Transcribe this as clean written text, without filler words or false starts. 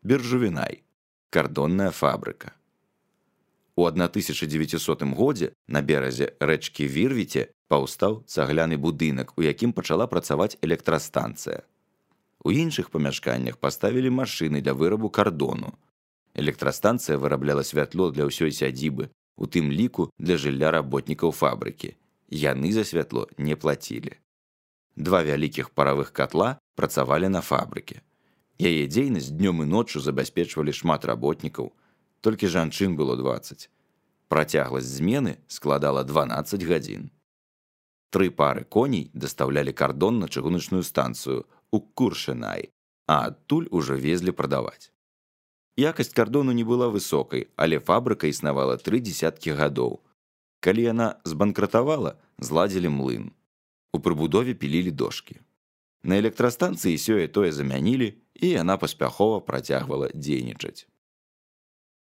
Биржувінай – кардонная фабрыка. У 1900 годзе на беразе рэчкі Вірвіце паўстаў цагляны будынак, у якім пачала працаваць электрастанцыя. У іншых памяшканнях паставілі машыны для вырабу кардону. Электрастанцыя вырабляла святло для ўсёй сядзібы, у тым ліку для жылля работнікаў фабрыкі. Яны за святло не плацілі. 2 вялікіх паравых катла працавалі на фабрыке. Яе дзейнасць днём і ноччу забяспечвалі шмат работнікаў, толькі жанчын было 20. Працягласць змены складала 12 гадзін. 3 пары коней дастаўлялі кардон на чыгуначную станцыю у Куршынай, а адтуль ужо везлі прадаваць. Якасць кардону не была высокай, але фабрыка існавала 3 дзесяткі гадоў. Калі яна збанкратавала, зладзілі млын. У прыбудове пілілі дошкі. На электрастанцыі сёе-тое замянілі, і яна паспяхова працягвала дзейнічаць.